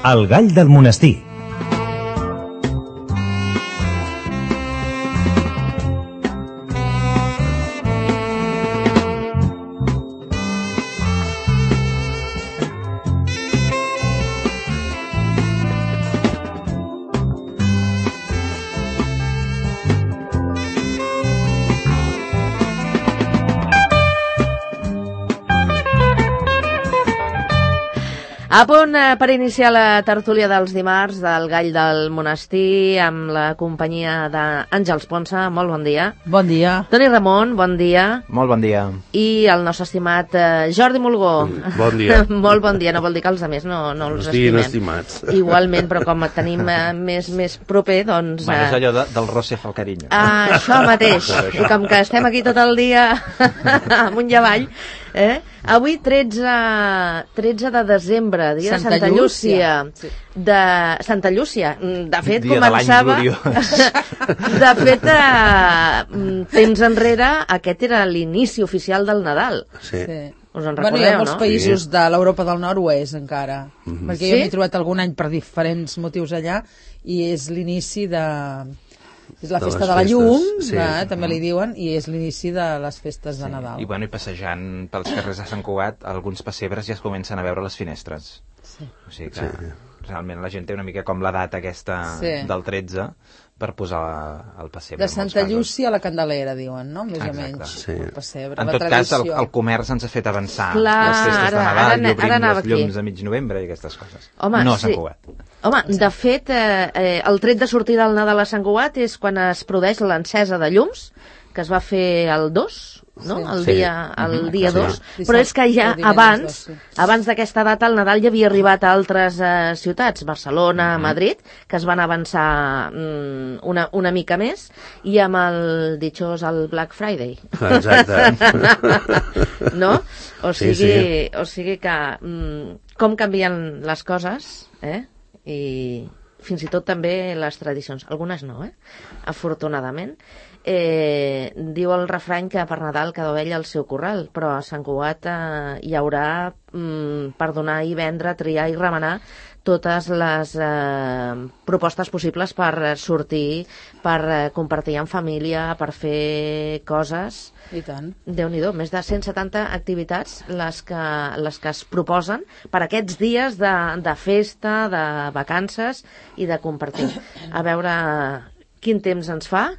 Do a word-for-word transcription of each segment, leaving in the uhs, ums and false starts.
El gall del monestir. A punt eh, per iniciar la tertúlia dels dimarts del Gall del Monestir amb la companyia d'Àngels Ponsa. Molt bon dia. Bon dia. Toni Ramon, bon dia. Molt bon dia. I el nostre estimat eh, Jordi Mulgó. Bon dia. Molt bon dia. No vol dir que els altres no, no els Estiguin estimem. estimats. Igualment, però com et tenim eh, més, més proper, doncs... Bueno, és Eh, allò de, del roce fa el carinyo. ah, això mateix. I com que estem aquí tot el dia amunt i avall, eh? Avui tretze, tretze de desembre, dia Santa de Santa Llúcia. Llúcia. De Santa Llúcia. De fet, Dia de l'any començava... gloriós. De fet, eh, temps enrere, aquest era l'inici oficial del Nadal. Sí. Sí. Us en Bueno, hi recordeu, ha molts no? països Sí. de l'Europa del Nord ho és encara, Mhm. perquè Sí? jo m'he trobat algun any per diferents motius allà i és l'inici de... és la De festa les de la festes, llum, sí. eh, també li diuen, i és l'inici de les festes de Nadal. I, bueno, i passejant pels carrers de Sant Cugat, alguns pessebres ja es comencen a veure les finestres. Sí. O sigui que Sí. realment la gent té una mica com la data aquesta Sí. del tretze per posar el pessebre. De en molts Santa casos. Llúcia a la Candelera, diuen, no? Més Exacte. o menys. Sí. El pessebre, En la tot cas, el, tradició. el comerç ens ha fet avançar Clar, les festes de ara- Nadal ara i ne- obrim ara anava les llums aquí. a mig novembre i aquestes coses. Home, no a Sant sí. Cugat. Home, de fet, eh, eh, el tret de sortida del Nadal a Sant Cugat és quan es produeix l'encesa de llums, que es va fer el dos, no? Sí. El Sí. dia, el Mhm, dia sí. dos. Sí. Però és que ja El divendres abans, dos, sí. abans d'aquesta data, el Nadal ja havia arribat a altres eh, ciutats, Barcelona, Madrid, que es van avançar mm, una, una mica més, i amb el ditxós el Black Friday. Exacte. No? O Sí, sigui, o sigui que mm, com canvien les coses, eh? I fins i tot també les tradicions. Algunes no, eh? Afortunadament. Eh, diu el refrany que per Nadal cada ovella al seu corral, però a Sant Cugat eh, hi haurà mm, per donar i vendre, triar i remenar totes les eh, propostes possibles per eh, sortir, per eh, compartir en família, per fer coses. I tant. Déu-n'hi-do, més de cent setanta activitats les que, les que es proposen per aquests dies de, de festa, de vacances i de compartir. A veure quin temps ens fa.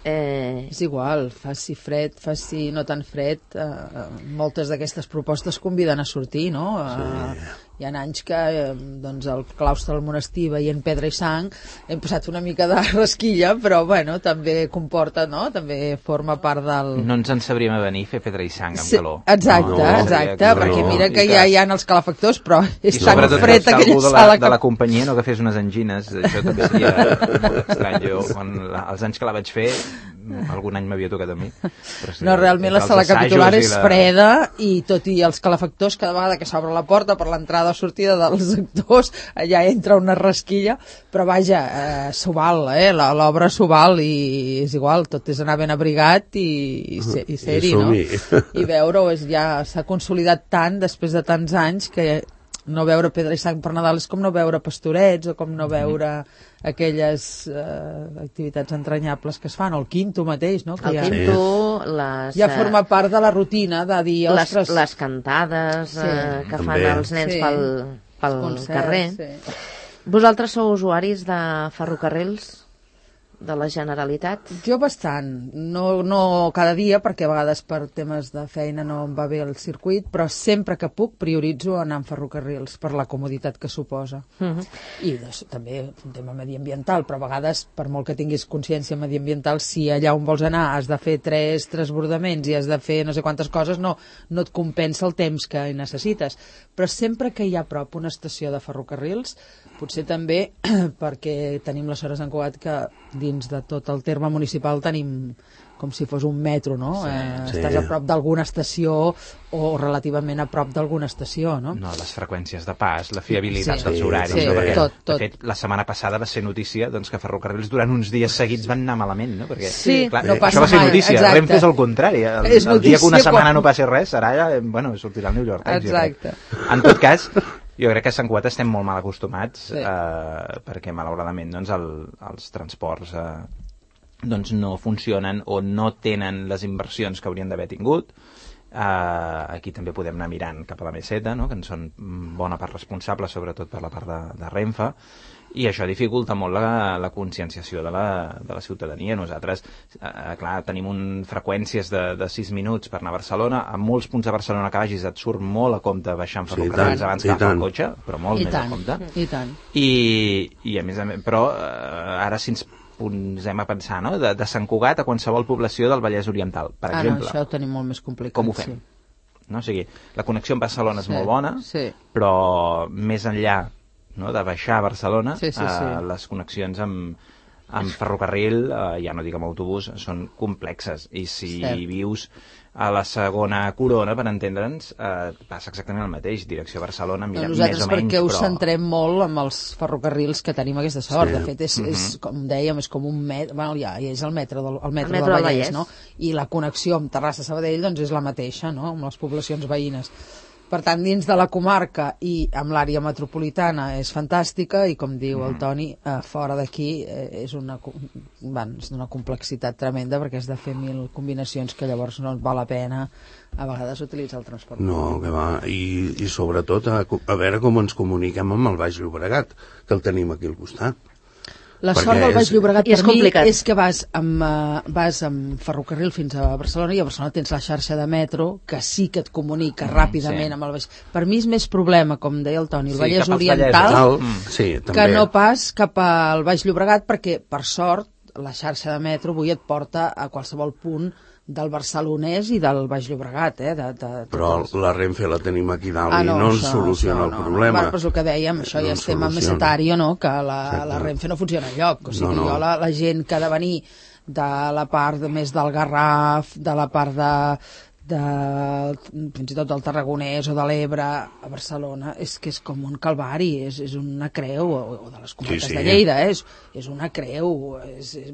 Eh, És igual, faci fred, faci no tan fred, eh, moltes d'aquestes propostes conviden a sortir, no? Eh, hi ha anys que eh, doncs el claustre del monestir veient pedra i sang hem passat una mica de rasquilla, però bueno, també comporta, no? També forma part del... No ens en sabríem a venir fer pedra i sang amb Sí, calor. exacte, No, exacte, no, perquè no. mira que I ja que- hi ha els calefactors, però és I tan sobretot fred que aquella algú de la, sala de la que... companyia no agafés unes angines, això també seria molt estrany. Jo, quan la, els anys que la vaig fer, algun any m'havia tocat a mi. Però sí, No, realment la entre sala els assajos capitular i és la- freda i tot i els calefactors, cada vegada que s'obre la porta per l'entrada o sortida dels actors, allà entra una rasquilla, però vaja, eh, s'ho val, eh? La- l'obra s'ho val i és igual, tot és anar ben abrigat i, i, ser, i ser-hi, no? assumir. I veure-ho, és- ja s'ha consolidat tant després de tants anys que no veure pedra i sang per Nadal és com no veure pastorets o com no veure aquelles eh, activitats entranyables que es fan, o el quinto mateix, no? Que el ja, quinto, les, ja eh, forma part de la rutina de dir, les, ostres, les cantades Sí. eh, que fan També. els nens Sí. pel, pel concerts, carrer. sí. Vosaltres sou usuaris de ferrocarrils de la Generalitat? Jo bastant, no, no cada dia, perquè a vegades per temes de feina no em va bé el circuit, però sempre que puc prioritzo anar amb ferrocarrils per la comoditat que suposa. Mhm. I doncs, també un tema mediambiental, però a vegades, per molt que tinguis consciència mediambiental, si allà on vols anar has de fer tres transbordaments i has de fer no sé quantes coses, no, no et compensa el temps que hi necessites. Però sempre que hi ha a prop una estació de ferrocarrils, potser també perquè tenim la sort a Sant Cugat que dins de tot el terme municipal tenim com si fos un metro, no? Sí, eh, sí. Estàs a prop d'alguna estació o relativament a prop d'alguna estació, no? No, les freqüències de pas, la fiabilitat Sí, dels horaris. sí, no? Perquè, tot, tot. De fet, la setmana passada va ser notícia doncs, que ferrocarrils durant uns dies seguits van anar malament, no? Perquè, Sí, clar, no eh, passa això va ser mai, notícia. exacte. Renfe és el contrari. El, És el dia que una notícia setmana quan- no passi res, serà, eh, bueno, sortirà el New York Times. jo crec. Exacte. En tot cas, Jo crec que a Sant Cugat estem molt mal acostumats, Sí. eh, perquè malauradament doncs, el, els transports eh, doncs, no funcionen o no tenen les inversions que haurien d'haver tingut. Uh, aquí també podem anar mirant cap a la meseta, no? Que en són bona part responsables, sobretot per la part de, de Renfe, i això dificulta molt la, la conscienciació de la, de la ciutadania. Nosaltres, uh, clar, tenim un, freqüències de, de sis minuts per anar a Barcelona. A molts punts de Barcelona que vagis et surt molt a compte baixar en ferrocarrils sí, abans que agafar el cotxe, però molt I més tant, a compte. i tant. I, i a més a més, però uh, ara si ens posem a pensar, no? De, de Sant Cugat a qualsevol població del Vallès Oriental, per Ah, exemple. no, això ho tenim molt més complicat. Com ho fem? Sí. No? O sigui, la connexió amb Barcelona és Sí, molt bona, sí. però més enllà, no, de baixar a Barcelona, Sí, sí, sí. Eh, les connexions amb, amb ferrocarril, eh, ja no dic amb autobús, són complexes. I si Cert. vius a la segona corona, per entendre'ns, eh, passa exactament el mateix. Direcció a Barcelona, mira, No, més nosaltres o menys, perquè ho però... centrem molt amb els ferrocarrils que tenim aquesta sort. Sí. De fet, és, és, com dèiem, és com un metro, bueno, ja, ja és el metro del, el metro El metro del del Vallès, Vallès. no? I la connexió amb Terrassa-Sabadell doncs, és la mateixa, no?, amb les poblacions veïnes. Per tant, dins de la comarca i amb l'àrea metropolitana és fantàstica i, com diu el Toni, eh, fora d'aquí eh, és una, co- van, és d'una complexitat tremenda perquè has de fer mil combinacions que llavors no et val la pena a vegades utilitzar el transport. No, que va, i, i sobretot a, a veure com ens comuniquem amb el Baix Llobregat, que el tenim aquí al costat. La Perquè sort del Baix és- Llobregat I és per mi complicat. és que vas amb, uh, vas amb ferrocarril fins a Barcelona i a Barcelona tens la xarxa de metro que sí que et comunica mm, ràpidament sí. amb el Baix. Per mi és més problema, com deia el Toni, el Sí, Vallès cap als Oriental Tal, Mm. sí, també. que no pas cap al Baix Llobregat perquè, per sort, la xarxa de metro avui et porta a qualsevol punt del barcelonès i del Baix Llobregat, eh? De, de, de, Però dels- la Renfe la tenim aquí dalt Ah, i no ens això- soluciona això el no, no. problema. Bueno, però és el que dèiem, això No ja ens és tema soluciona. mesetari, no? Que la, Exacte. la Renfe no funciona enlloc. O sigui, No, no. jo la, la gent que ha de venir de la part de, més del Garraf, de la part de, de fins i tot del Tarragonès o de l'Ebre a Barcelona, és que és com un calvari, és, és una creu, o, o de les comarques Sí, sí. de Lleida, eh? és, és una creu. És, és,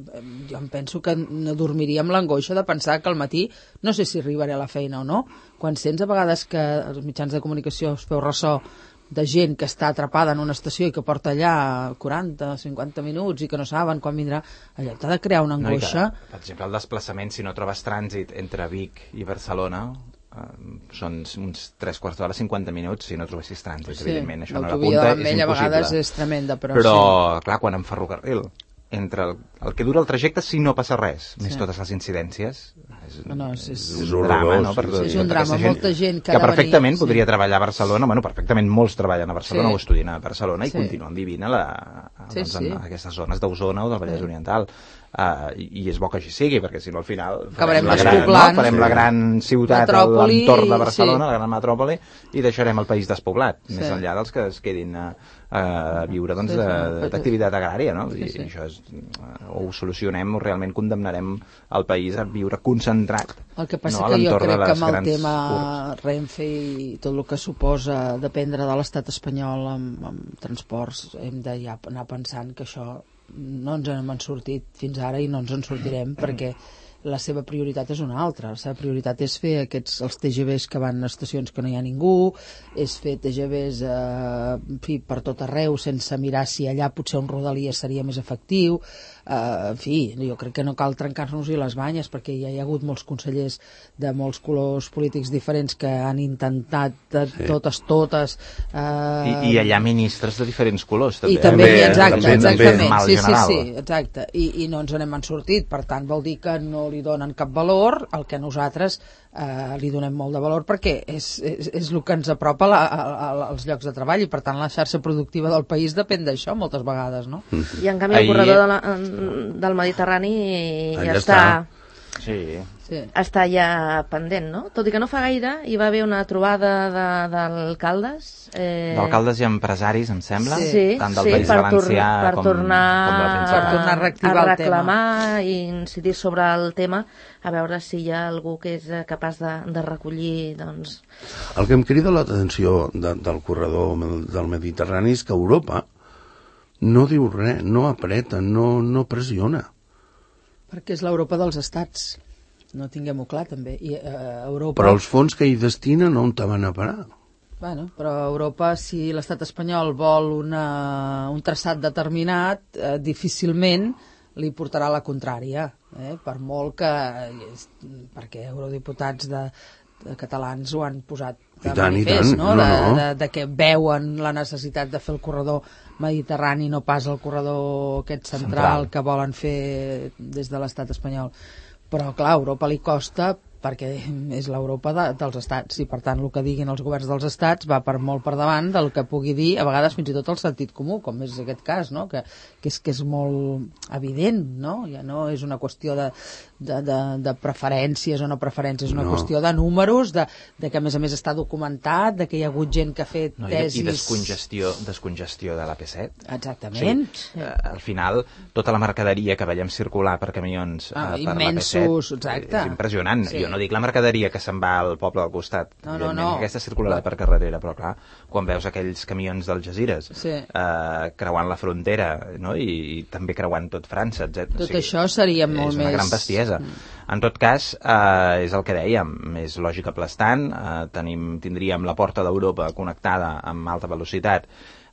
jo em penso que no dormiria amb l'angoixa de pensar que al matí no sé si arribaré a la feina o no. Quan sents a vegades que els mitjans de comunicació es feu ressò de gent que està atrapada en una estació i que porta allà quaranta, cinquanta minuts i que no saben quan vindrà, allò t'ha de crear una No, i que, angoixa. per exemple, el desplaçament, si no trobes trànsit entre Vic i Barcelona, eh, són uns tres quarts d'hora, cinquanta minuts, si no trobessis trànsit, Sí, evidentment. Això no l'autovia l'apunta, de és l'Ametlla a vegades impossible. és tremenda, però, Però, sí. clar, quan en ferrocarril, entre el, el que dura el trajecte, si no passa res, més Sí. totes les incidències, és, No, no, és- és, és un horrorós, drama, no? sí, Per sí. tota És un drama, aquesta molta gent que que ha de perfectament venir, podria sí. treballar a Barcelona, bueno, perfectament molts treballen a Barcelona Sí. o estudien a Barcelona i Sí. continuen vivint a, la, a, Sí, doncs, sí. en aquestes zones d'Osona o del Vallès Oriental. Uh, i, I és bo que així sigui, perquè si no al final Acabarem farem la gran, no? despoblant. farem la gran ciutat a Metròpoli, l'entorn de Barcelona, sí. la gran metròpoli, i deixarem el país despoblat, Sí. més enllà dels que es quedin a, a viure doncs, Sí, sí. de- d'activitat agrària, no? Sí, I, sí. i això és, o ho solucionem o realment condemnarem el país a viure concentrat. El que passa no, a que jo l'entorn de crec que les amb el grans tema urbs. Renfe i tot el que suposa dependre de l'estat espanyol amb, amb transports, hem de ja anar pensant que això no ens n'hem sortit fins ara i no ens en sortirem perquè la seva prioritat és una altra. La seva prioritat és fer aquests, els T G Vs que van a estacions que no hi ha ningú, és fer T G Vs eh, en fi, per tot arreu sense mirar si allà potser un rodalia seria més efectiu. Uh, en fi, jo crec que no cal trencar-nos-hi les banyes perquè ja hi ha hagut molts consellers de molts colors polítics diferents que han intentat de Sí. totes, totes uh, I, I allà ministres de diferents colors, també. i també, També, exacte, també, exactament, mal sí, sí, general. sí, exacte, I, i no ens n'hem sortit, per tant vol dir que no li donen cap valor, el que nosaltres eh, li donem molt de valor perquè és, és, és el que ens apropa la, a, a, als llocs de treball i per tant la xarxa productiva del país depèn d'això moltes vegades, no? I en canvi el Ahir- corredor de la, del Mediterrani ja Allà està, està. Sí. Sí. està ja pendent, no? Tot i que no fa gaire hi va haver una trobada de- d'alcaldes eh... D'alcaldes i empresaris, em sembla, Sí, tant del sí, País per, Valencià per com, tornar, com de la Per Principal. tornar a reactivar a el reclamar i incidir sobre el tema, a veure si hi ha algú que és eh, capaç de, de recollir, doncs... El que em crida l'atenció de, del corredor del Mediterrani és que Europa no diu res, no apreta, no, no pressiona. Perquè és l'Europa dels estats. No tinguem-ho clar, també. I, eh, Europa... Però els fons que hi destinen on te van a parar? Bueno, però a Europa, si l'estat espanyol vol una, un traçat determinat, eh, difícilment li portarà la contrària, eh? Per molt que... perquè eurodiputats de, de catalans ho han posat de I tant, manifest, i tant. no? No, De, no. de, de que veuen la necessitat de fer el corredor mediterrani, no pas el corredor aquest central, Central. que volen fer des de l'estat espanyol. Però, clar, a Europa li costa perquè és l'Europa de, dels estats i per tant el que diguin els governs dels estats va per molt per davant del que pugui dir a vegades fins i tot el sentit comú, com és aquest cas, no? que, que, és, que és molt evident, no? Ja no és una qüestió de, de, de, de preferències o no preferències, és una No. qüestió de números, de, de que a més a més està documentat, de que hi ha hagut gent que ha fet No, i, tesis... I descongestió, descongestió de l'A P set. Exactament. Sí. Eh, al final, tota la mercaderia que veiem circular per camions Ah, eh, per immensos, l'A P set exacte. és impressionant. Sí. Jo no dic la mercaderia que se'n va al poble al costat. No, no, Evidentment, no. Aquesta circularà per carretera, però clar, quan veus aquells camions del Jazires Sí. eh, creuant la frontera, no? I, i també creuant tot França, etcètera. Tot això seria molt és una més- gran bestiesa. En tot cas, eh, és el que dèiem, és lògica aplastant, eh, tenim, tindríem la porta d'Europa connectada amb alta velocitat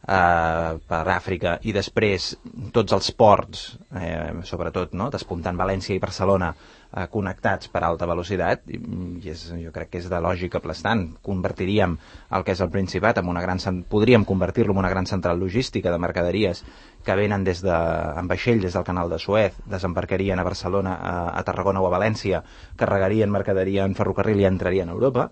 eh, per Àfrica i després tots els ports, eh, sobretot, no? Despuntant València i Barcelona, eh, connectats per alta velocitat, i, i és, jo crec que és de lògica aplastant. Convertiríem el que és el Principat en una gran... cen- podríem convertir-lo en una gran central logística de mercaderies que venen des de, en vaixell des del canal de Suez, desembarcarien a Barcelona, a, a Tarragona o a València, carregarien mercaderia en ferrocarril i entrarien a Europa,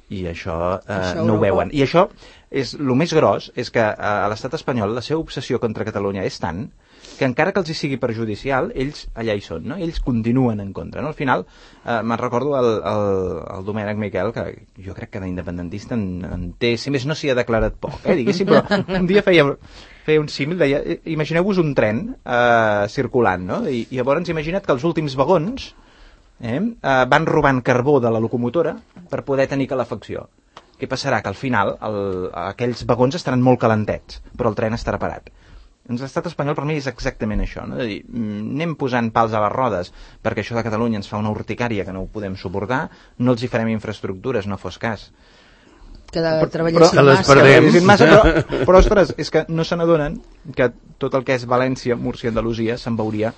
i això, eh, Això no ho Europa- veuen. I això, és el més gros, és que eh, a l'estat espanyol la seva obsessió contra Catalunya és tant que encara que els hi sigui perjudicial, ells allà hi són, no? Ells continuen en contra, no? Al final, eh, me'n recordo el, el, el Domènec Miquel, que jo crec que d'independentista en, en té, si més no s'hi ha declarat poc, eh, diguéssim, però un dia feia, feia un símil, deia, eh, imagineu-vos un tren eh, circulant, no? I, i llavors imagina't que els últims vagons eh, eh, van robant carbó de la locomotora per poder tenir calefacció. Què passarà? Que al final el, aquells vagons estaran molt calentets, però el tren estarà parat. Doncs l'estat espanyol per mi és exactament això, no? És a dir, anem posant pals a les rodes perquè això de Catalunya ens fa una urticària que no ho podem suportar, no els hi farem infraestructures, no fos cas. Que de, Però- treballessin que les massa. perdem. Treballessin massa, però, però, ostres, és que no se n'adonen que tot el que és València, Múrcia, Andalusia se'n veuria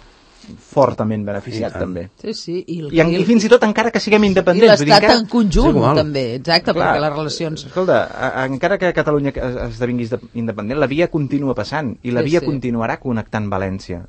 fortament beneficiat, també. Sí, sí. I, el, I, en, I fins i tot encara que siguem i independents. vull dir, l'estat encara- en conjunt, és igual. també. Exacte, Clar, perquè les relacions... Escolta, a- encara que Catalunya es- esdevingués de- independent, la via continua passant i la Sí, via sí. continuarà connectant València.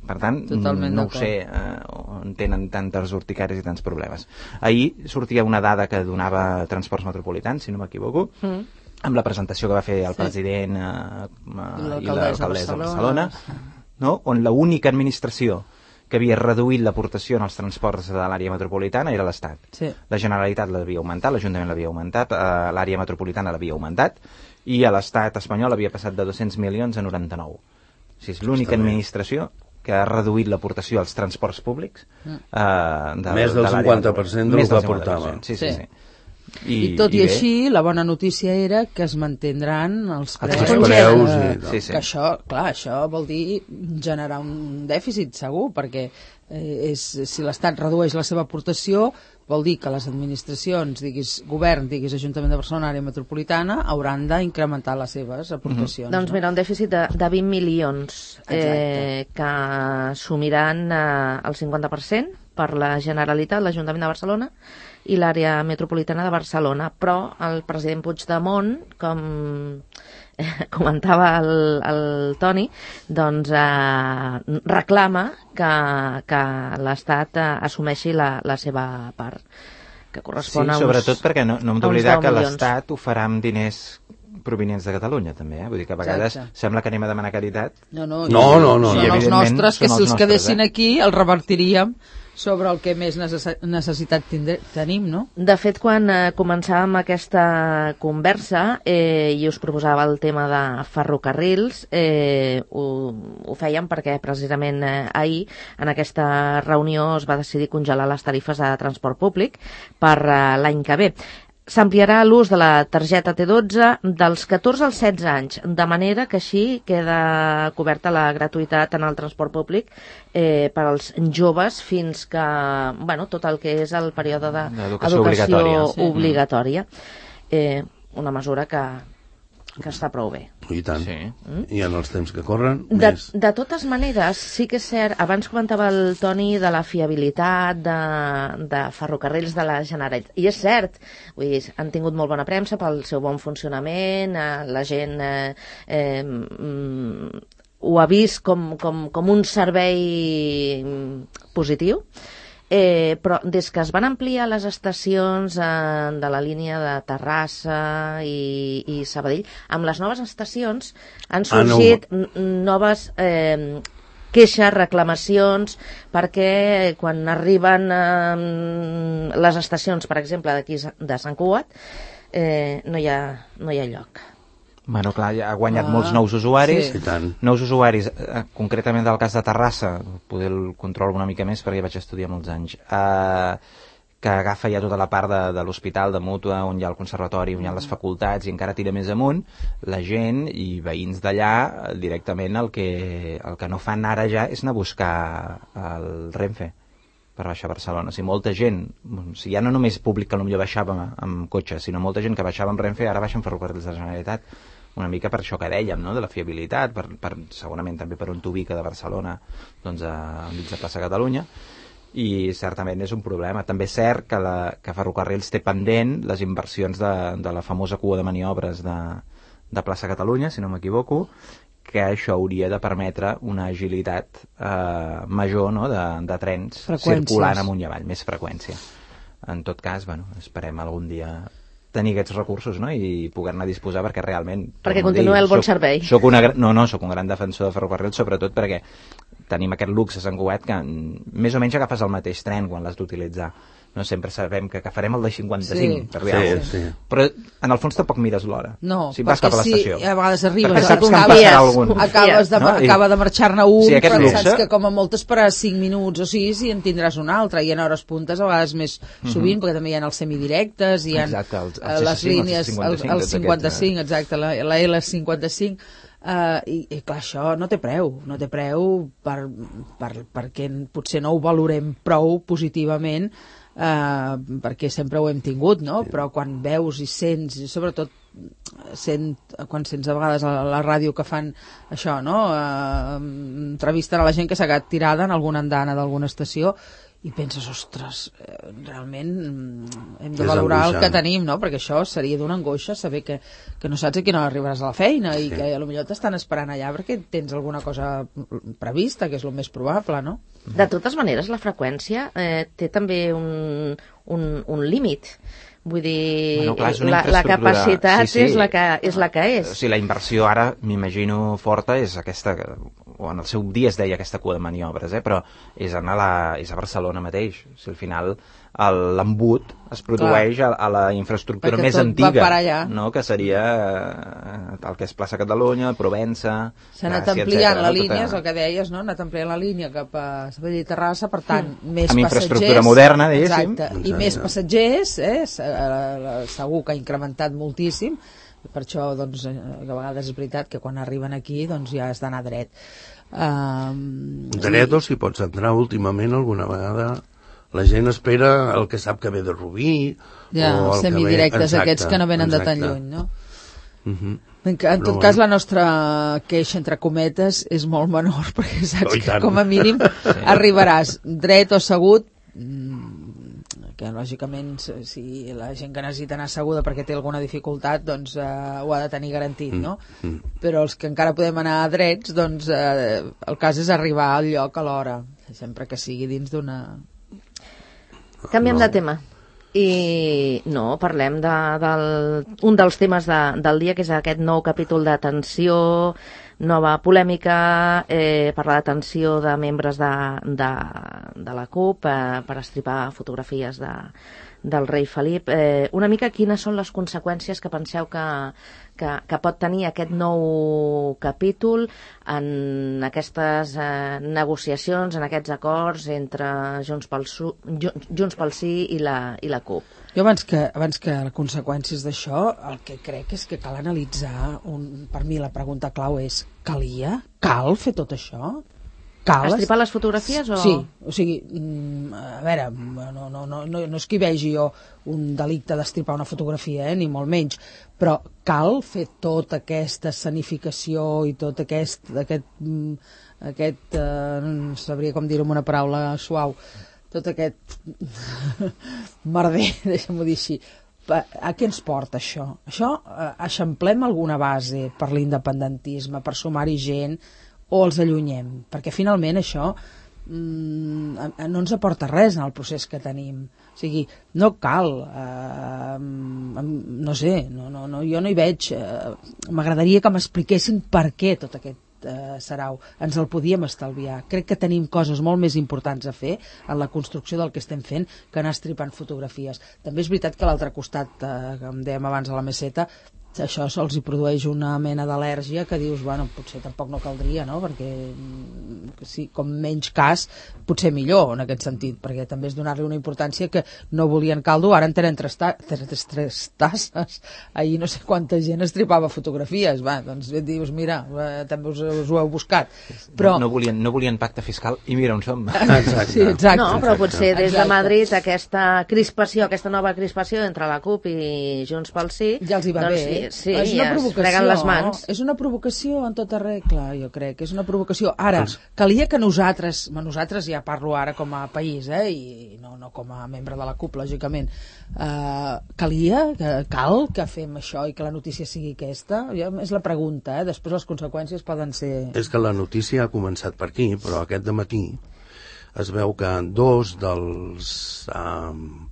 Per tant, Totalment no ho d'acord. sé eh, on tenen tantes urticàries i tants problemes. Ahir sortia una dada que donava Transports Metropolitans, si no m'equivoco, Mm. amb la presentació que va fer el Sí. president eh, eh, i l'alcaldessa l'alcaldessa de de Barcelona, Barcelona, no? On l'única administració que havia reduït l'aportació en els transports de l'àrea metropolitana era l'Estat. Sí. La Generalitat l'havia augmentat, l'Ajuntament l'havia augmentat, eh, l'àrea metropolitana l'havia augmentat, i a l'Estat espanyol havia passat de dos-cents milions a noranta-nou. O sigui, és l'única Està bé. administració que ha reduït l'aportació als transports públics. Eh, de, Més del de l'àrea cinquanta per cent del Més que del cinquanta per cent, aportava. Sí, sí, Sí. sí. I, tot i, bé, així, la bona notícia era que es mantindran els preus. Els preus eh, i tal. Sí, sí. Que això, clar, això vol dir generar un dèficit, segur, perquè eh, és, si l'Estat redueix la seva aportació, vol dir que les administracions, diguis govern, diguis Ajuntament de Barcelona, àrea metropolitana, hauran d'incrementar les seves aportacions. Doncs mira, un dèficit de, de vint milions eh, que assumiran eh, el cinquanta per cent per la Generalitat, l'Ajuntament de Barcelona i l'àrea metropolitana de Barcelona, però el president Puigdemont, com eh, comentava el, el Toni, doncs eh, reclama que, que l'Estat eh, assumeixi la, la seva part, que Sí, correspon a uns... sobretot perquè no, no hem a uns d'oblidar deu que milions. l'Estat ho farà amb diners provenients de Catalunya, també, eh? Vull dir que a vegades Exacte. sembla que anem a demanar caritat. No, no, No, no, no, són no. els Evidentment, nostres, que són si els els quedessin nostres, eh? aquí els revertiríem sobre el que més necess necessitat tindre tenim, no? De fet, quan eh, començàvem aquesta conversa eh, i us proposava el tema de ferrocarrils, eh, ho, ho fèiem perquè precisament eh, ahir en aquesta reunió es va decidir congelar les tarifes de transport públic per eh, l'any que ve. S'ampliarà l'ús de la targeta T dotze dels catorze als setze anys, de manera que així queda coberta la gratuïtat en el transport públic eh, per als joves fins que, bueno, tot el que és el període D'educació d'educació obligatòria, sí. obligatòria. Eh, una mesura que, que està prou bé. I tant. Sí. Mm? I en els temps que corren, De, més. de totes maneres, sí que és cert, abans comentava el Toni de la fiabilitat de, de ferrocarrils de la Generalitat, i és cert, vull dir, han tingut molt bona premsa pel seu bon funcionament, eh, la gent eh, eh, mm, ho ha vist com, com, com un servei positiu. Eh, però des que es van ampliar les estacions eh, de la línia de Terrassa i, i Sabadell, amb les noves estacions han sorgit ah, no. noves eh, queixes, reclamacions, perquè quan arriben eh, les estacions, per exemple, d'aquí de Sant Cugat, eh, no, hi ha, no hi ha lloc. Bueno, clar, ha guanyat ah, molts nous usuaris, sí. nous usuaris, eh, concretament del cas de Terrassa, poder el controlo una mica més perquè vaig estudiar molts anys, eh, que agafa ja tota la part de, de l'hospital de Mútua, on hi ha el conservatori, on hi ha les facultats, i encara tira més amunt, la gent i veïns d'allà directament el que, el que no fan ara ja és anar a buscar el Renfe per baixar a Barcelona. O sigui, molta gent, o sigui, ja no només públic que potser baixava amb cotxe, sinó molta gent que baixava amb Renfe ara baixa amb ferrocarrils de la Generalitat. Una mica per això que dèiem, no?, de la fiabilitat, per, per, segurament també per on t'ubica de Barcelona, doncs a mig de plaça Catalunya, i certament és un problema. També és cert que, la, que Ferrocarrils té pendent les inversions de, de la famosa cua de maniobres de, de plaça Catalunya, si no m'equivoco, que això hauria de permetre una agilitat eh, major, no?, de, de trens circulant amunt i avall, més freqüència. En tot cas, bueno, esperem algun dia tenir aquests recursos, no?, i poder-ne disposar perquè realment... Perquè continuï el bon soc, servei. Soc una, no, no, soc un gran defensor de ferrocarrils, sobretot perquè tenim aquest luxe a Sant Cugat que més o menys agafes el mateix tren quan l'has d'utilitzar. No sempre sabem que agafarem el de cinquanta-cinc sí, per sí, sí. Però en el fons tampoc mires l'hora. No, si vas cap a l'estació. Sí, a vegades arribes, perquè saps que en acabes, algun. acabes de, no? acaba de marxar-ne un, sí, però luxe. Saps que com a molt esperaràs cinc minuts o sis i en tindràs un altre, i en hores puntes a vegades més sovint, uh-huh. perquè també hi ha els semidirectes, hi ha exacte, els, els les línies, el cinquanta-cinc, exacte, la, la L cinquanta-cinc, Uh, i, i clar, això no té preu no té preu per, per, perquè potser no ho valorem prou positivament, uh, perquè sempre ho hem tingut, no? Però quan veus i sents, i sobretot sent, quan sents a vegades a la ràdio que fan això, no? Uh, entrevisten a la gent que s'ha quedat tirada en alguna andana d'alguna estació i penses, ostres, realment hem de valorar el que tenim, no? Perquè això seria d'una angoixa saber que, que no saps a quina hora arribaràs a la feina i sí. que potser t'estan esperant allà perquè tens alguna cosa prevista, que és el més probable, no? De totes maneres, la freqüència eh, té també un, un, un límit. Vull dir, bueno, clar, la, la capacitat sí, sí. és la que és. La que és. O sigui, la inversió ara, m'imagino, forta és aquesta, o en el seu dia es deia aquesta cua de maniobres, eh? Però és, anar a la, és a Barcelona mateix. O sigui, al final l'embut es produeix a, a la infraestructura perquè més antiga, no? Que seria el que és plaça Catalunya, Provença... S'ha anat ampliant la línia, és el que deies, no? Ha anat ampliant la línia cap a Sabadell i Terrassa, per tant, mm. més amb passatgers... Amb infraestructura moderna, diguéssim. Exacte, i més passatgers, eh? Segur que ha incrementat moltíssim, per això, doncs, a vegades és veritat que quan arriben aquí, doncs ja has d'anar dret. Um, dret o si pots entrar últimament alguna vegada... La gent espera el que sap que ve de Rubí... Ja, o els semidirectes exacte, aquests que no venen exacte. de tan lluny, no? Uh-huh. En, en tot Però, cas, la nostra queixa, entre cometes, és molt menor, perquè saps oh, que, com a mínim, sí. arribaràs dret o assegut, que lògicament, si la gent que necessita anar asseguda perquè té alguna dificultat, doncs eh, ho ha de tenir garantit, no? Mm. Però els que encara podem anar a drets, doncs eh, el cas és arribar al lloc a l'hora, sempre que sigui dins d'una... Canviem no. de tema i no, parlem de, del, un dels temes de, del dia, que és aquest nou capítol d'atenció, nova polèmica, eh, per la detenció de membres de, de, de la CUP eh, per estripar fotografies de, del rei Felip. Eh, una mica quines són les conseqüències que penseu que, que, que pot tenir aquest nou capítol en aquestes eh, negociacions, en aquests acords entre Junts pel, Su, Junts pel Sí i la, i la CUP? Jo abans que, abans que les conseqüències d'això, el que crec és que cal analitzar, un, per mi la pregunta clau és, calia? Cal fer tot això? cal... Estripar les fotografies o...? Sí, o sigui, a veure, no, no, no, no, no és que hi vegi jo un delicte d'estripar una fotografia, eh, ni molt menys, però cal fer tota aquesta escenificació i tot aquest, aquest, aquest eh, no sabria com dir-ho amb una paraula suau, tot aquest merder, deixa'm-ho dir així. A què ens porta això? Això eh, eixamplem alguna base per l'independentisme, per sumar-hi gent, o els allunyem? Perquè finalment això mm, no ens aporta res en el procés que tenim. O sigui, no cal, eh, no sé, no, no, no, jo no hi veig, eh, m'agradaria que m'expliquessin per què tot aquest eh, sarau. Ens el podíem estalviar. Crec que tenim coses molt més importants a fer en la construcció del que estem fent que anar estripant fotografies. També és veritat que a l'altre costat, eh, que em dèiem abans a la meseta, això sols hi produeix una mena d'al·lèrgia que dius, bueno, potser tampoc no caldria, no? Perquè sí, com menys cas, potser millor en aquest sentit, perquè també és donar-li una importància que no volien caldo, ara en tenen tres, ta tres, tres tasses. Ahir no sé quanta gent estripava fotografies, va, doncs dius, mira, també us, us ho heu buscat. Però... No, no, volien, no volien pacte fiscal i mira on som. Exacte. Sí, exacte. No, però potser des de Exacte. Madrid aquesta crispació, aquesta nova crispació entre la CUP i Junts pel Sí, ja els hi va doncs, bé. Sí, és una ja es provocació, freguen les mans. És una provocació en tota regla, jo crec, és una provocació. Ara, calia que nosaltres, nosaltres ja parlo ara com a país, eh, i no, no com a membre de la CUP, lògicament, eh, calia, que, cal que fem això i que la notícia sigui aquesta? Ja, és la pregunta, eh? Després les conseqüències poden ser... És que la notícia ha començat per aquí, però aquest dematí es veu que dos dels... Um,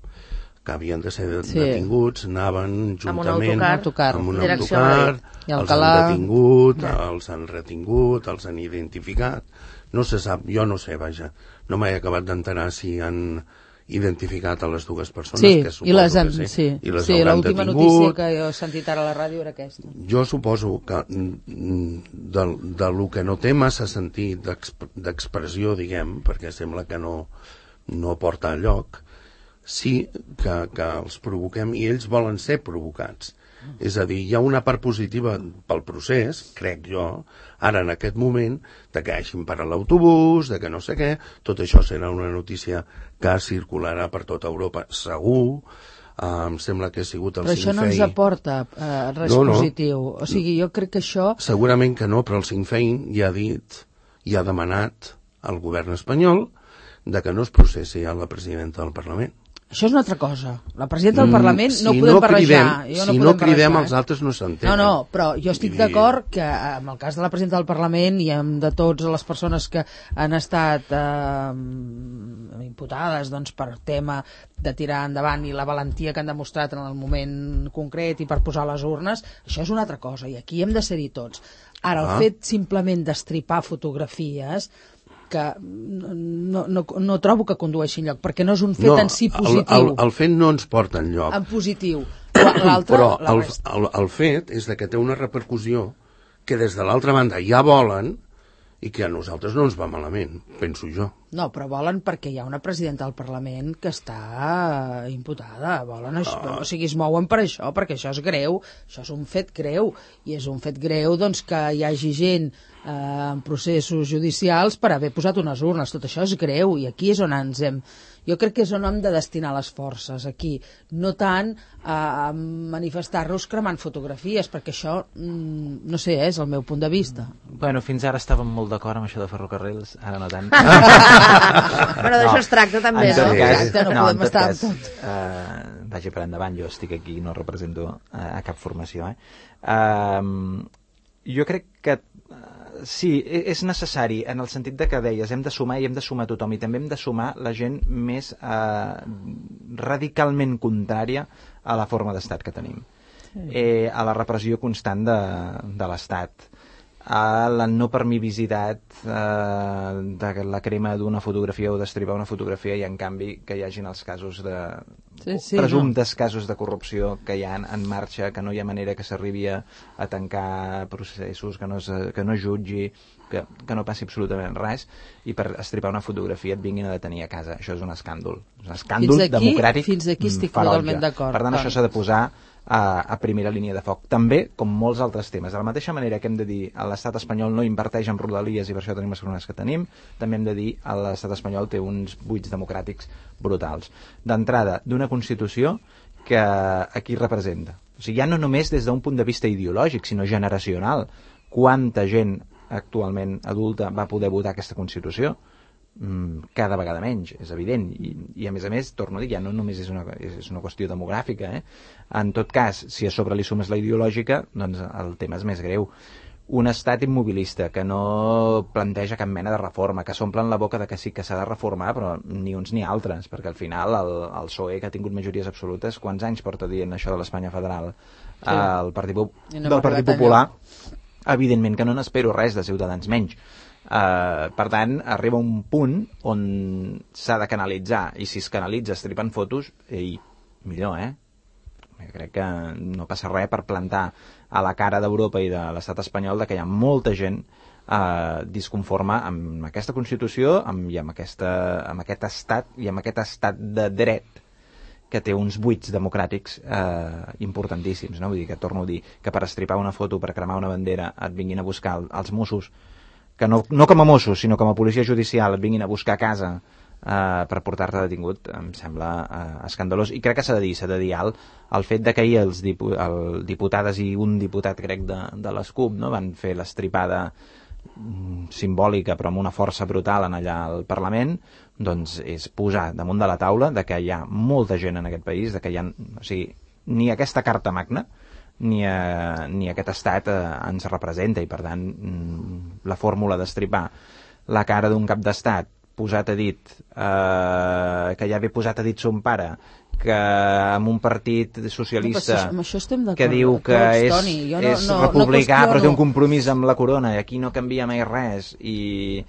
que havien de ser Sí. detinguts, anaven juntament Amb un autocar, amb un direcció a autocar, I els Alcalà... han detingut, Bé. els han retingut, els han identificat. No se sap, jo no sé, vaja, no m'he acabat d'enterar si han identificat a les dues persones, Sí, que suposo i les han, que sí, sí, i les sí, hauran l'última detingut. notícia que jo he sentit ara a la ràdio era aquesta. Jo suposo que mm, de, de lo que no té massa sentit d'exp- d'expressió, diguem, perquè sembla que no, no porta enlloc, sí que, que els provoquem i ells volen ser provocats. És a dir, hi ha una part positiva pel procés, crec jo, ara en aquest moment, de que hagin parat l'autobús, de que no sé què, tot això serà una notícia que circularà per tota Europa, segur. Uh, em sembla que ha sigut el Però això no ens aporta eh, res No, no. positiu. O sigui, jo crec que això... Segurament que no, però el Sinn Féin ja ha dit, ja ha demanat al govern espanyol de que no es processi a la presidenta del Parlament. Això és una altra cosa. La presidenta del Parlament Mm, no si podem no barrejar. cridem, Jo si no, no podem cridem, barrejar, els eh? altres no s'entenen. No, no, però jo estic Vull dir- d'acord que en el cas de la presidenta del Parlament i amb de totes les persones que han estat eh, imputades doncs, per tema de tirar endavant i la valentia que han demostrat en el moment concret i per posar les urnes, això és una altra cosa i aquí hem de ser-hi tots. Ara, el Ah. fet simplement d'estripar fotografies que no, no, no trobo que condueixi enlloc, perquè no és un fet no, en si el, positiu. el, el fet no ens porta enlloc. En positiu. L'altre, Però la el, resta. el, el fet és de que té una repercussió que des de l'altra banda ja volen i que a nosaltres no ens va malament, penso jo. No, però volen perquè hi ha una presidenta del Parlament que està imputada. Volen això, Ah. o sigui, es mouen per això, perquè això és greu, això és un fet greu, i és un fet greu doncs, que hi hagi gent eh, en processos judicials per haver posat unes urnes. Tot això és greu, i aquí és on ens hem... Jo crec que és on hem de destinar les forces, aquí. No tant a manifestar-nos cremant fotografies, perquè això, mm, no sé, és el meu punt de vista. Bueno, fins ara estàvem molt d'acord amb això de ferrocarrils, ara no tant. Però d'això es tracta també, en tot no? cas, Exacte, no no, podem en tot estar cas, amb tot. eh, vagi per endavant, jo estic aquí, no represento a, a cap formació. Eh? Eh, jo crec que eh, sí, e- és necessari en el sentit de que deies, hem de sumar i hem de sumar tothom, i també hem de sumar la gent més eh, radicalment contrària a la forma d'estat que tenim, eh, a la repressió constant de, de l'Estat, a la no permivisitat eh, de la crema d'una fotografia o d'estripar una fotografia, i en canvi que hi hagin els casos de Sí, sí, presumptes casos de corrupció que hi ha en marxa, que no hi ha manera que s'arribi a, a tancar processos, que no, es, que no es jutgi, que, que no passi absolutament res, i per estripar una fotografia et vinguin a detenir a casa. Això és un escàndol, és un escàndol Fins aquí- democràtic fins aquí estic ferotge. totalment d'acord. Per tant, Clar. això s'ha de posar a, a primera línia de foc. També, com molts altres temes. De la mateixa manera que hem de dir a l'estat espanyol no inverteix en rodalies i per això tenim les problemes que tenim, també hem de dir a l'estat espanyol té uns buits democràtics brutals. D'entrada, d'una Constitució que aquí representa. O sigui, ja no només des d'un punt de vista ideològic, sinó generacional. Quanta gent actualment adulta va poder votar aquesta Constitució? Cada vegada menys, és evident, i, i a més a més, torno a dir, ja no només és una, és una qüestió demogràfica, eh? En tot cas, si a sobre li sumes la ideològica, doncs el tema és més greu. Un estat immobilista que no planteja cap mena de reforma, que s'omplen la boca de que sí que s'ha de reformar, però ni uns ni altres, perquè al final el, el P S O E, que ha tingut majories absolutes, quants anys porta dient això de l'Espanya federal? Sí. El Partit, no del Partit Popular, evidentment que no n'espero res de Ciutadans menys. Uh, per tant, arriba un punt on s'ha de canalitzar, i si es canalitza estripant fotos, ei, millor, eh? Crec que no passa res per plantar a la cara d'Europa i de l'estat espanyol de que hi ha molta gent uh, disconforme amb aquesta Constitució amb, i amb, aquesta, amb aquest estat i amb aquest estat de dret que té uns buits democràtics eh, importantíssims, no? Vull dir que, torno a dir, que per estripar una foto, per cremar una bandera, et vinguin a buscar els Mossos, que no, no com a Mossos, sinó com a policia judicial, et vinguin a buscar a casa eh, per portar-te detingut, em sembla eh, escandalós. I crec que s'ha de dir, s'ha de dir alt, el fet de que ahir els dipu el diputades i un diputat, crec, de, de les CUP, no? Van fer l'estripada simbòlica però amb una força brutal en allà al Parlament, doncs és posar damunt de la taula de que hi ha molta gent en aquest país, de que hi ha, o sigui, ni aquesta carta magna ni, a, ni aquest estat eh, ens representa, i per tant la fórmula d'estripar la cara d'un cap d'estat posat a dit eh, que ja ve posat a dit son pare, que amb un partit socialista no, això, això que diu que tots, és, Toni, no, és no, republicà no però té un compromís amb la corona i aquí no canvia mai res, i,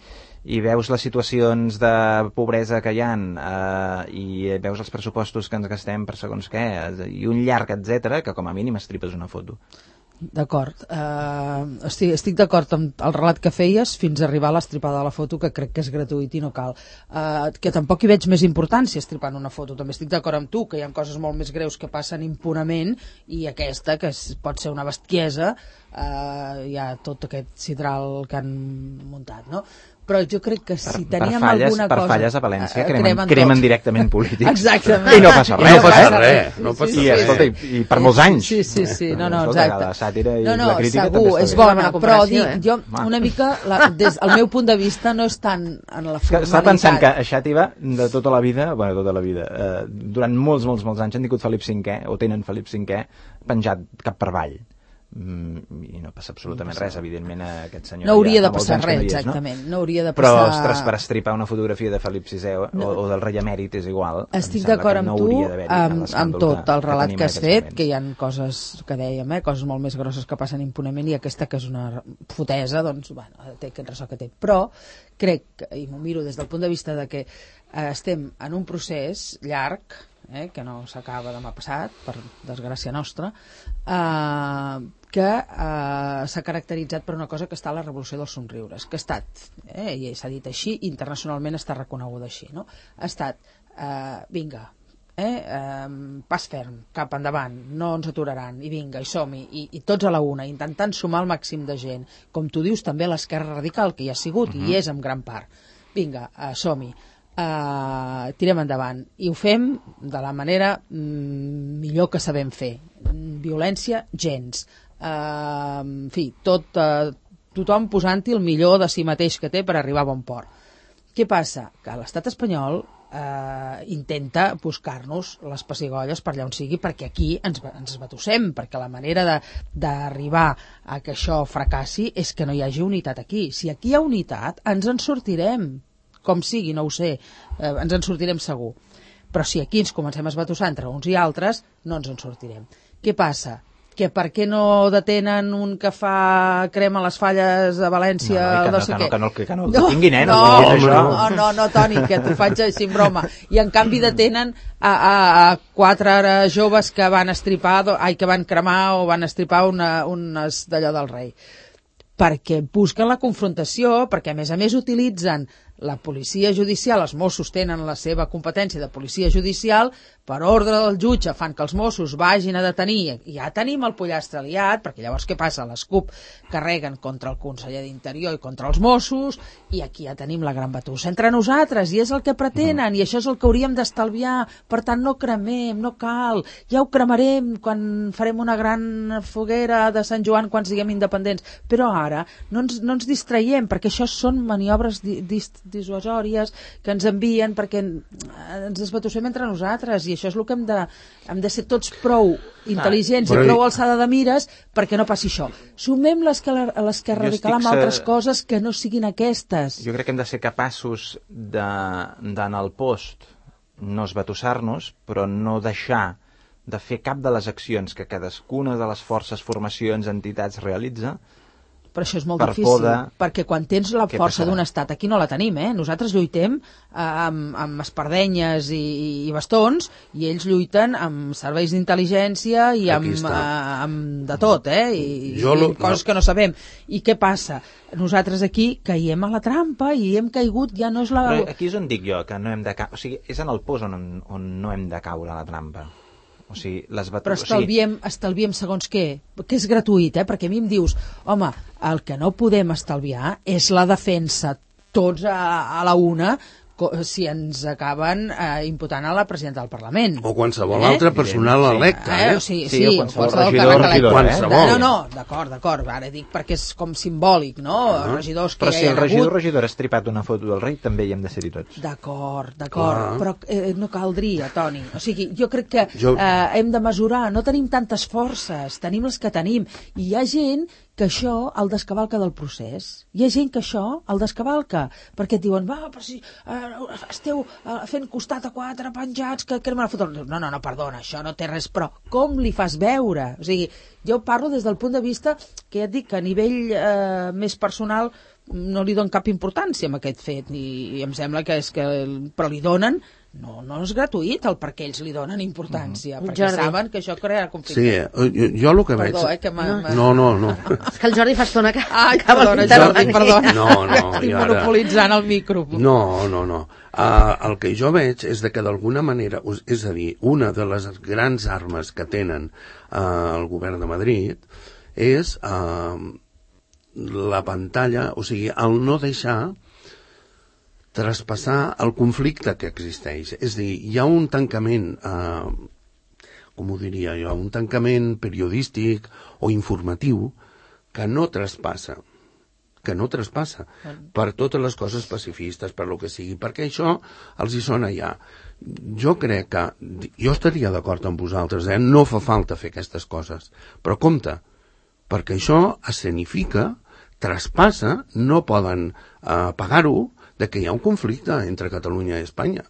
i veus les situacions de pobresa que hi ha eh, i veus els pressupostos que ens gastem per segons què i un llarg etcètera, que com a mínim estripes una foto. D'acord, uh, estic, estic d'acord amb el relat que feies fins a arribar a l'estripada de la foto, que crec que és gratuït i no cal, uh, que tampoc hi veig més importància estripant una foto. També estic d'acord amb tu que hi ha coses molt més greus que passen impunament, i aquesta, que és, pot ser una bestiesa, uh, hi ha tot aquest sidral que han muntat, no? Però jo crec que si per, teníem per falles, alguna per cosa... Per falles a València cremen, cremen, cremen directament polítics. Exactament. I no passa res. I no passa eh? res. No passa I, res. escolta, i, i per molts anys. Sí, sí, sí. No, no, escolta, exacte. la sàtira i no, no, la crítica segur, també és està bona, bé. però dic, eh? jo una mica, la, des del meu punt de vista, no és tant en la formalitat. Estava pensant que a Xàtiva, de tota la vida, bueno, tota la vida, eh, durant molts, molts, molts anys han tingut Felip cinquè, o tenen Felip cinquè, penjat cap per avall. Mm, i no passa absolutament no passa res, evidentment aquest senyor no hauria ja, de passar res, no és, exactament no? No hauria de però passar... ostres, per estripar una fotografia de Felip sisè o, no. o del rei emèrit és igual. Estic d'acord amb no tu amb, amb tot que, el relat que, que has fet moments. Que hi ha coses que dèiem, eh? Coses molt més grosses que passen impunement, i aquesta que és una fotesa, doncs bueno, té aquest ressò que té, però crec, i m'ho miro des del punt de vista de que eh, estem en un procés llarg, eh, que no s'acaba demà passat, per desgràcia nostra, eh, que eh, s'ha caracteritzat per una cosa que està a la revolució dels somriures, que ha estat, eh, i s'ha dit així, internacionalment està reconeguda així, no? Ha estat, eh, vinga, eh, eh, pas ferm, cap endavant, no ens aturaran, i vinga, i som-hi, i, i tots a la una, intentant sumar el màxim de gent, com tu dius també l'esquerra radical, que hi ha sigut, uh-huh. i és en gran part. Vinga, eh, som-hi. Uh, tirem endavant i ho fem de la manera mm, millor que sabem fer. Violència gens, uh, en fi, tot, uh, tothom posant-hi el millor de si mateix que té per arribar a bon port. Què passa? Que l'estat espanyol uh, intenta buscar-nos les pessigolles per allà on sigui, perquè aquí ens, ens batussem, perquè la manera d'arribar a que això fracassi és que no hi hagi unitat aquí. Si aquí hi ha unitat ens en sortirem, com sigui, no ho sé, eh, ens en sortirem segur. Però si aquí ens comencem a esbatussar entre uns i altres, no ens en sortirem. Què passa? Que per què no detenen un que fa crema a les falles a València? No, no, que no, sé que, no, que no, que no, no, que tinguin, eh? No, no, no, no, no, no, Toni, que t'ho faig així en broma. I en canvi detenen a, a, a quatre joves que van estripar, ai, que van cremar o van estripar una, unes d'allò del rei. Perquè busquen la confrontació, perquè a més a més utilitzen la policia judicial, els Mossos tenen la seva competència de policia judicial per ordre del jutge fan que els Mossos vagin a detenir, i ja tenim el pollastre liat, perquè llavors què passa? Les CUP carreguen contra el conseller d'Interior i contra els Mossos, i aquí ja tenim la gran batussa entre nosaltres, i és el que pretenen, i això és el que hauríem d'estalviar, per tant no cremem, no cal, ja ho cremarem quan farem una gran foguera de Sant Joan quan siguem independents, però ara no ens, no ens distraiem, perquè això són maniobres di, dis, dissuasòries que ens envien perquè ens desbatussem entre nosaltres, i això és el que hem de, hem de ser tots prou intel·ligents ah, i prou alçada de mires perquè no passi això. Sumem l'esquerra radical amb altres coses que no siguin aquestes. Jo crec que hem de ser capaços d'anar al post, no esbatussar-nos, però no deixar de fer cap de les accions que cadascuna de les forces, formacions, entitats realitza. Però això és molt difícil, perquè quan tens la força d'un estat, aquí no la tenim, eh? Nosaltres lluitem eh, amb, amb espardenyes i, i bastons, i ells lluiten amb serveis d'intel·ligència i amb, eh, amb de tot, eh? I, i lo, coses no. que no sabem. I què passa? Nosaltres aquí caiem a la trampa i hem caigut, ja no és la... Però aquí és on dic jo que no hem de caure, o sigui, és en el pos on, on no hem de caure a la trampa. O sigui, les batu... Però estalviem, o sigui... estalviem segons què, que és gratuït, eh? Perquè a mi em dius, home, el que no podem estalviar és la defensa tots a, a la una si ens acaben eh, imputant a la presidenta del Parlament. O qualsevol eh? altre personal sí. electe. Eh? Eh? Sí, sí, sí, o qualsevol, qualsevol regidor, regidor, qualsevol. Eh? No, no, d'acord, d'acord, ara dic perquè és com simbòlic, no? Uh-huh. Regidors que però ja si hi ha el regidor hagut... regidor ha estripat una foto del rei, també hi hem de ser-hi tots. D'acord, d'acord, uh-huh. però eh, no caldria, Toni. O sigui, jo crec que jo... eh, hem de mesurar, no tenim tantes forces, tenim les que tenim, i hi ha gent que això el descavalca del procés. Hi ha gent que això el descavalca, perquè et diuen, va, però si eh, esteu eh, fent costat a quatre penjats que crema la foto. No, no, no, perdona, això no té res, però com li fas veure? O sigui, jo parlo des del punt de vista que ja et dic que a nivell eh, més personal no li dono cap importància a aquest fet, i, i em sembla que és que... però li donen... No, no és gratuït el perquè ells li donen importància, mm. perquè Jordi. Saben que això crearà conflicte. Sí, jo, jo el que veig... Perdó, eh, que m'ha... No, no, no. És que el Jordi fa estona que... Ai, perdona, Jordi, perdona. No, no, estic monopolitzant el micro. No, no, no. Uh, el que jo veig és de que d'alguna manera, és a dir, una de les grans armes que tenen uh, el govern de Madrid és uh, la pantalla, o sigui, el no deixar traspassar el conflicte que existeix. És a dir, hi ha un tancament, eh, com ho diria jo, un tancament periodístic o informatiu que no traspassa, que no traspassa per totes les coses pacifistes, per lo que sigui, perquè això els hi sona ja. Jo crec que, jo estaria d'acord amb vosaltres, eh? No fa falta fer aquestes coses, però compte, perquè això escenifica, traspassa, no poden eh, pagar-ho, de que hi ha un conflicte entre Catalunya i Espanya.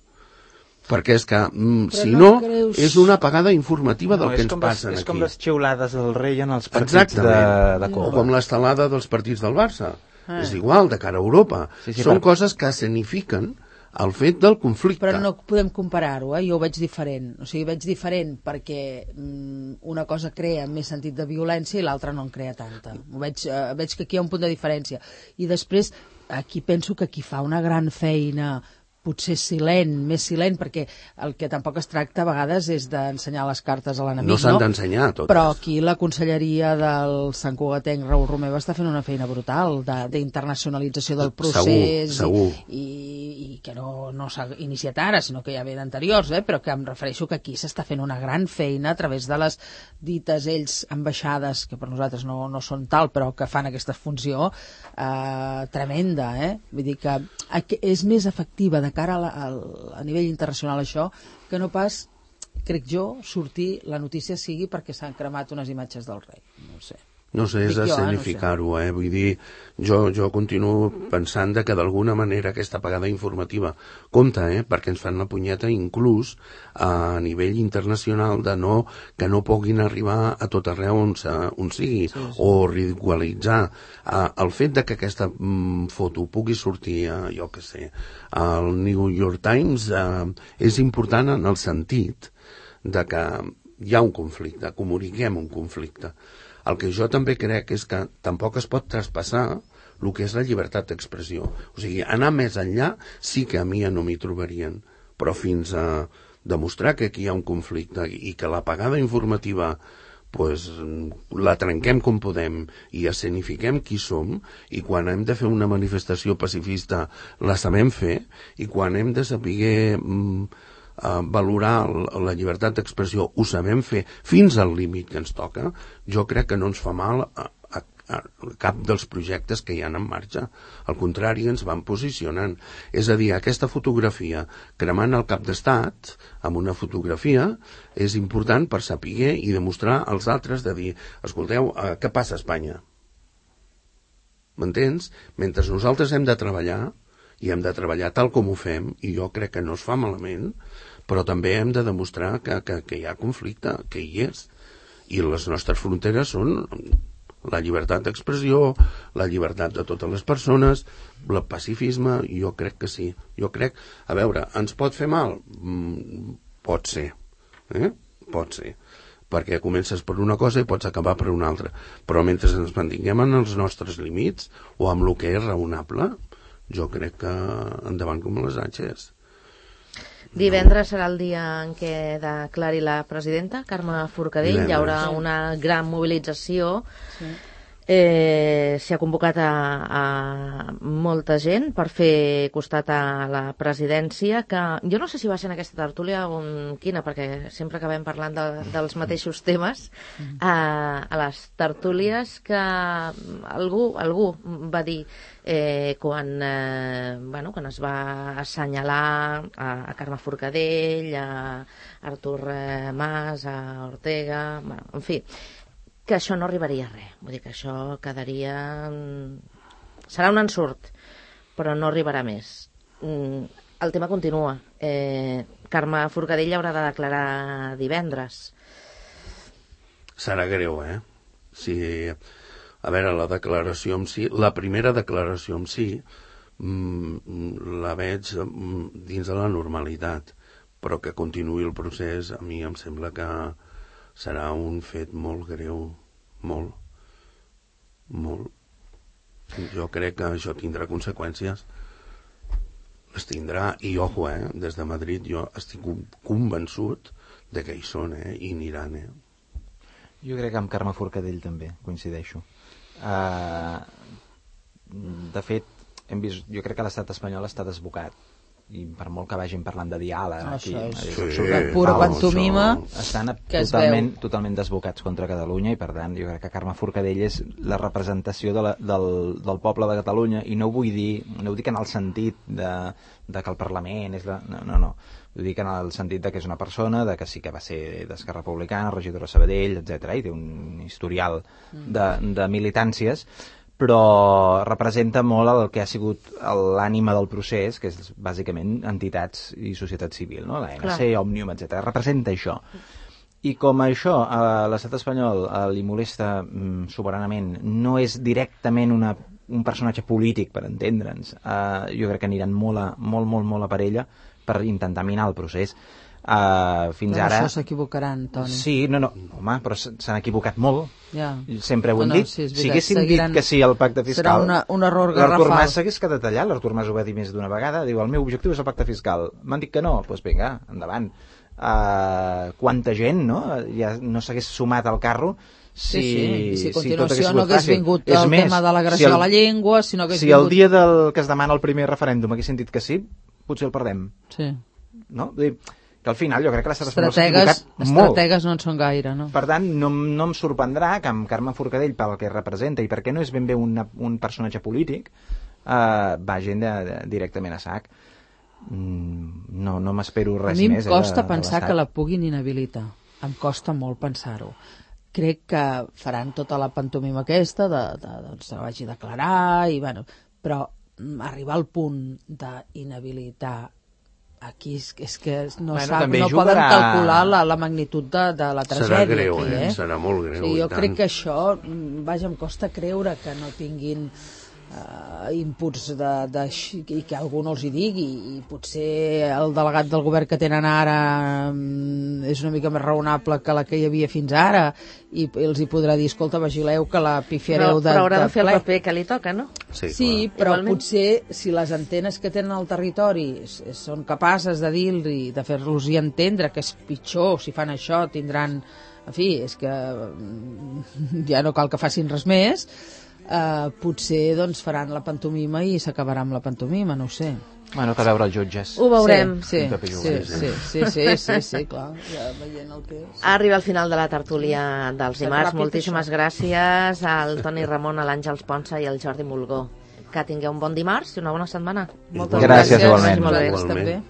Perquè és que, mm, si no, no creus... és una apagada informativa no, del que ens passa aquí. És com les xiulades del rei en els partits de, de Copa. O com l'estelada dels partits del Barça. Ah. És igual, de cara a Europa. Sí, sí, Són per... coses que escenifiquen el fet del conflicte. Però no podem comparar-ho, eh? Jo ho veig diferent. O sigui, veig diferent perquè mm, una cosa crea més sentit de violència i l'altra no en crea tanta. Ho veig, eh, veig que aquí hi ha un punt de diferència. I després... Aquí penso que qui fa una gran feina, potser silent, més silent, perquè el que tampoc es tracta a vegades és d'ensenyar les cartes a l'enemic, no? s'han no? d'ensenyar totes. Però aquí la conselleria del Sant Cugatenc Raül Romeva està fent una feina brutal d'internacionalització del procés segur, segur. I, i, i que no, no s'ha iniciat ara, sinó que ja ve d'anteriors, eh? Però que em refereixo que aquí s'està fent una gran feina a través de les dites ells ambaixades, que per nosaltres no, no són tal, però que fan aquesta funció eh, tremenda, eh? Vull dir que és més efectiva de cara a, la, a, a nivell internacional això, que no pas, crec jo, sortir la notícia sigui perquè s'han cremat unes imatges del rei. No sé. No sé, és escenificar-ho, eh? Vull dir, jo, jo continuo pensant de que d'alguna manera aquesta apagada informativa compta, eh? Perquè ens fan la punyeta inclús a nivell internacional de no, que no puguin arribar a tot arreu on, on sigui, sí, sí. O ridiculitzar. Uh, el fet de que aquesta mm, foto pugui sortir, uh, jo què sé, al New York Times uh, és important en el sentit de que hi ha un conflicte, comuniquem un conflicte. El que jo també crec és que tampoc es pot traspassar el que és la llibertat d'expressió. O sigui, anar més enllà sí que a mi no m'hi trobarien, però fins a demostrar que aquí hi ha un conflicte i que l'apagada informativa pues, la trenquem com podem i escenifiquem qui som, i quan hem de fer una manifestació pacifista la sabem fer, i quan hem de saber mm, uh, valorar la llibertat d'expressió ho sabem fer fins al límit que ens toca, jo crec que no ens fa mal a, a, a cap dels projectes que hi ha en marxa. Al contrari, ens van posicionant. És a dir, aquesta fotografia cremant el cap d'estat amb una fotografia és important per saber i demostrar als altres de dir, escolteu, eh, què passa a Espanya? M'entens? Mentre nosaltres hem de treballar, i hem de treballar tal com ho fem, i jo crec que no es fa malament, però també hem de demostrar que, que, que hi ha conflicte, que hi és. I les nostres fronteres són la llibertat d'expressió, la llibertat de totes les persones, el pacifisme, jo crec que sí. Jo crec, a veure, ens pot fer mal? Mm, pot ser, eh? Pot ser, perquè comences per una cosa i pots acabar per una altra, però mentre ens mantinguem en els nostres límits o amb el que és raonable, jo crec que endavant com les atxes. Divendres serà el dia en què declari la presidenta, Carme Forcadell. Divendres. Hi haurà una gran mobilització. Sí. Eh, s'hi ha convocat a, a molta gent per fer costat a la presidència, que jo no sé si va ser en aquesta tertúlia o en quina, perquè sempre acabem parlant de, dels mateixos temes, a, a les tertúlies, que algú, algú va dir eh, quan, eh, bueno, quan es va assenyalar a, a Carme Forcadell, a Artur eh, Mas, a Ortega, bueno, en fi, que això no arribaria a res. Vull dir que això quedaria... serà un ensurt, però no arribarà més. El tema continua. Eh, Carme Forcadell haurà de declarar divendres. Serà greu, eh? Si, a veure, la declaració en si, la primera declaració en si, la veig dins de la normalitat, però que continuï el procés, a mi em sembla que serà un fet molt greu, molt, molt. Jo crec que això tindrà conseqüències, les tindrà, i ojo, eh, des de Madrid jo estic convençut de que hi són, eh, i aniran, eh. Jo crec que amb Carme Forcadell també coincideixo. Uh, de fet, hem vist, jo crec que l'estat espanyol està desbocat, i per molt que vagin parlant de diàleg aquí, és, és sí, la pura pantomima estan totalment, totalment desbocats contra Catalunya, i per tant jo crec que Carme Forcadell és la representació de la, del, del poble de Catalunya, i no ho vull dir, no ho dic en el sentit de, de que el Parlament és la, no, no, no, ho dic en el sentit de que és una persona, de que sí que va ser d'Esquerra Republicana, regidora de Sabadell, etcètera, i té un historial de, de militàncies, però representa molt el que ha sigut l'ànima del procés, que és bàsicament entitats i societat civil, no? La N C, Òmnium, etcètera. Representa això. I com això a l'estat espanyol li molesta mm, soberanament, no és directament una, un personatge polític, per entendre'ns, uh, jo crec que aniran molt, a, molt, molt, molt a per ella per intentar minar el procés. Uh, fins però ara... això s'equivocaran, Toni. Sí, no, no, home, però s'han equivocat molt. Ja. Sempre ho hem no, no, dit. sí, si haguessin seguiran... dit que sí al pacte fiscal... Serà una, un error garrafal. L'Artur Mas s'hagués quedat allà, l'Artur Mas ho va dir més d'una vegada, diu, el meu objectiu és el pacte fiscal. M'han dit que no, doncs vinga, endavant. Uh, quanta gent, no?, ja no s'hagués sumat al carro si, sí, sí. I si a continuació si no hagués fàcil. vingut És el més, tema de l'agressió si el, a la llengua, si no hagués si vingut... el dia del que es demana el primer referèndum haguessin dit que sí, potser el perdem. Sí. No? Vull dir, que al final jo crec que l'estat espanyol s'ha equivocat molt. Estratègues no en són gaire, no? Per tant, no, no em sorprendrà que amb Carme Forcadell, pel que representa i perquè no és ben bé una, un personatge polític, eh, vagin de, de, directament a sac. Mm, no no m'espero res més. A mi em més, costa eh, de, pensar de que la puguin inhabilitar. Em costa molt pensar-ho. Crec que faran tota la pantomima aquesta de, de, doncs, se vagi a declarar, i, bueno, però arribar al punt d'inhabilitar aquí és, és que no, bueno, sap, no jugarà... poden calcular la, la magnitud de, de la tragèdia. Serà greu, aquí, eh? eh? Serà molt greu. Sí, jo i crec tant. que això, vaja, em costa creure que no tinguin uh, inputs de, de, i que algú no els hi digui, i potser el delegat del govern que tenen ara um, és una mica més raonable que la que hi havia fins ara, i els hi podrà dir, escolta, vigileu que la pifiareu però, de, però haurà de, de fer ple. el paper que li toca, no? Sí, Sí, clar. però Igualment. potser si les antenes que tenen al territori s- són capaces de dir-li, de fer-los-hi entendre que és pitjor, si fan això tindran, en fi, és que mm, ja no cal que facin res més, eh, potser doncs faran la pantomima i s'acabarà amb la pantomima, no ho sé. Bueno, cal veure els jutges. Ho veurem. Sí, Un paper sí, jugat. sí, sí, sí, sí, sí, clar, ja veient el que és. Arriba al final de la tertúlia dels Fem dimarts. ràpid, Moltíssimes gràcies al Toni Ramon, a l'Àngels Ponsa i al Jordi Mulgó. Que tingueu un bon dimarts i una bona setmana. Moltes Gràcies, gràcies. igualment. Vagi molt bé. Vosaltres també.